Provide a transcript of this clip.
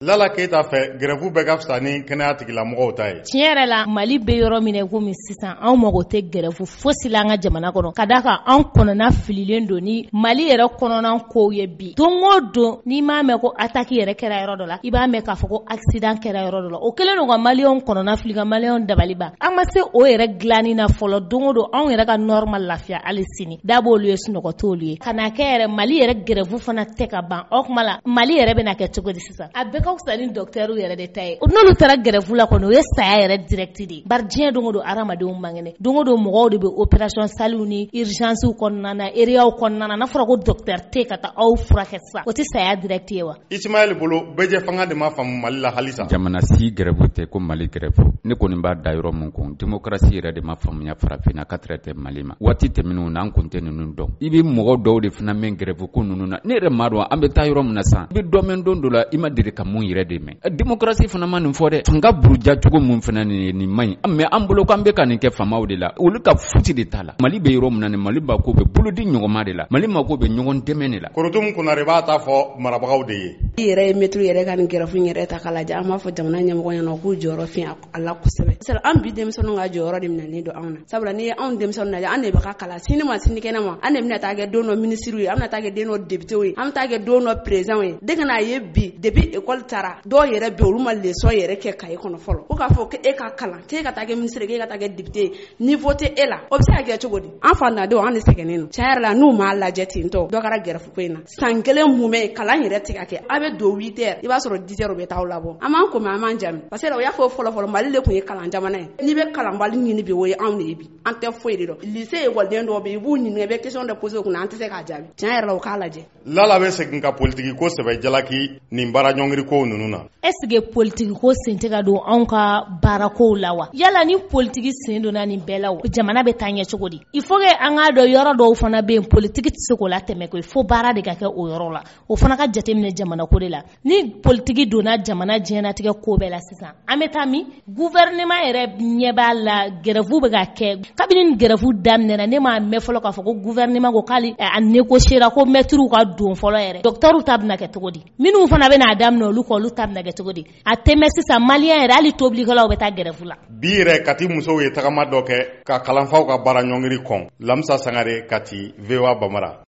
Lala Keyita fɛ, grève bɛɛ ka fisa ni kɛnɛya tigilamɔgɔw ta ye. Tiɲɛ yɛrɛ la, Mali bɛ yɔrɔ min na komi sisan, anw mago tɛ grève fosi la an ka jamana kɔnɔ, ka d'a kan anw kɔnɔna fililen don ni Mali yɛrɛ kɔnɔna kow ye bi. Don o don, n'i m'a mɛn ko attaque yɛrɛ kɛra yɔrɔ dɔ la, i b'a mɛn k'a fɔ ko accident kɛra yɔrɔ dɔ la. O kɛlen don ka maliyɛnw kɔnɔna fili, ka maliyɛnw dabali ban. An ma se o yɛrɛ dilanni na fɔlɔ. Don o don, anw yɛrɛ ka nord ma lafiya hali sini. Da b'olu ye, sunɔgɔ t'olu ye. Ka n'a kɛ yɛrɛ, Mali yɛrɛ grève fana tɛ ka ban. O tuma la, Mali yɛrɛ bɛna kɛ cogo di sisan? A bɛɛ ka fisa ni docteur yɛrɛ de ta ye. N'olu taara grève la kɔni, o ye saya yɛrɛ direct de ye. Bari diɲɛ don o don, hadamadenw man kɛnɛ. Don o don, mɔgɔw de bɛ opération salle ni urgence kɔnɔna na, area kɔnɔna na. N'a fɔra ko docteur tɛ ka taa aw furakɛ sisan, o tɛ saya direct ye wa? Ismaël bolo, bɛɛjɛ fanga de ma faamu Mali la halisa. Jamana si grève tɛ ko Mali grève. Ne kɔni b'a da yɔrɔ min kun, démocratie yɛrɛ de ma faamuya farafinna ka tɛrɛ tɛ Mali ma. Waati tɛmɛnenw na, an kun tɛ ninnu dɔn. I bɛ mɔgɔ dɔw de fana mɛn grève ko ninnu na. Ne yɛrɛ m'a dɔn an bɛ taa yɔrɔ min na sisan. I bɛ dɔ mɛn don dɔ la, i ma deli ka mun yɛrɛ de mɛn. Démocratie fana ma nin fɔ dɛ. Fanga buruja cogo mun fana nin ye, nin man ɲi. Mais an bolo k'an bɛ ka nin kɛ faamaw de la. Olu ka futi de t'a la. Mali bɛ yɔrɔ min na nin, Mali mako bɛ bolodi ɲɔgɔnma de la. Mali mako bɛ ɲɔgɔn dɛmɛ de la. Korotumu Konare b'a ta fɔ marabagaw de ye. I yɛrɛ ye mɛtiri yɛrɛ ka nin grève yɛrɛ ta k'a lajɛ, an b'a fɔ jamana ɲɛmɔgɔ ɲɛna k'u jɔyɔrɔ fi a la kosɛbɛ. An bi denmisɛnninw ka jɔyɔrɔ de minɛnen don anw na. Sabula n'i ye anw denmisɛnninw lajɛ, an de bɛ ka kalan sini ma sinikɛnɛ ma, an de bɛna taa kɛ don dɔ minisiriw ye, an bɛna taa kɛ den dɔ députéw ye, an bɛ taa kɛ don dɔ présidentw ye. De ka n'a ye bi depuis école taara, dɔw yɛrɛ bɛ olu ma leçon yɛrɛ kɛ cahier kɔnɔ fɔlɔ. Ko k'a fɔ k'e ka kalan, k'e ka taa kɛ ministre, k'e ka taa kɛ député ye, niveau tɛ e la, o bɛ se ka kɛ cogo di? An fantandenw, an de sɛgɛnnen don. Tiɲɛ yɛrɛ la, n'u m'a lajɛ ten tɔ, dɔ kɛra grève ko in na. San kelen mun bɛ kalan yɛrɛ tɛ ka kɛ. A bɛ don 8 heures, i b'a sɔrɔ 10 heures u bɛ taa aw labɔ. An b'an ko mɛ, an b'an jami. Parce que u y'a fɔ fɔlɔ fɔlɔ, Mali de tun ye kalan jamana ye. N'i bɛ kalanbali ɲini bi, o ye anw de ye bi. An tɛ foyi de dɔn. Lycée ekɔliden dɔw bɛ yen, i b'u ɲininka, i bɛ question dɔ poser u kunna, an tɛ se k'a jaabi. Tiɲɛ yɛrɛ la, u k'a lajɛ. Lala bɛ segin ka politiki ko sɛbɛ jalaki nin baara ɲɔngiri kow ninnu na. Est ce que politiki ko sen tɛ ka don anw ka baarakow la wa? Yala ni politiki sen donna nin bɛɛ la, jamana bɛ taa ɲɛ cogo di? Il faut que an k'a dɔn yɔrɔ dɔw fana bɛ yen, politiki tɛ se k'o latɛmɛ koyi, fo baara de ka kɛ o yɔrɔ la. O fana ka jateminɛ jamana ko de la. Ni politiki donna jamana diɲɛnatigɛ ko bɛɛ la sisan, an bɛ taa min? Gouvernement yɛrɛ ɲɛ b'a la, grève bɛ ka kɛ. Kabini ni grève daminɛna, ne m'a mɛn fɔlɔ k'a fɔ ko gouvernement ko k'ale a négocier ko maître ka don fɔlɔ yɛrɛ. Docteur ta bɛna kɛ cogo di? Minnu fana bɛna daminɛ olu kɔ, olu ta bɛna kɛ cogo di? A tɛmɛ sisan, maliyɛn yɛrɛ, hali tobilikɛlaw bɛ taa grève la. Bi yɛrɛ, Kati musow ye tagama dɔ kɛ ka kalanfaw ka baara ɲɔngiri kɔn. Lamisa Sangare, Kati, VOA Bambara.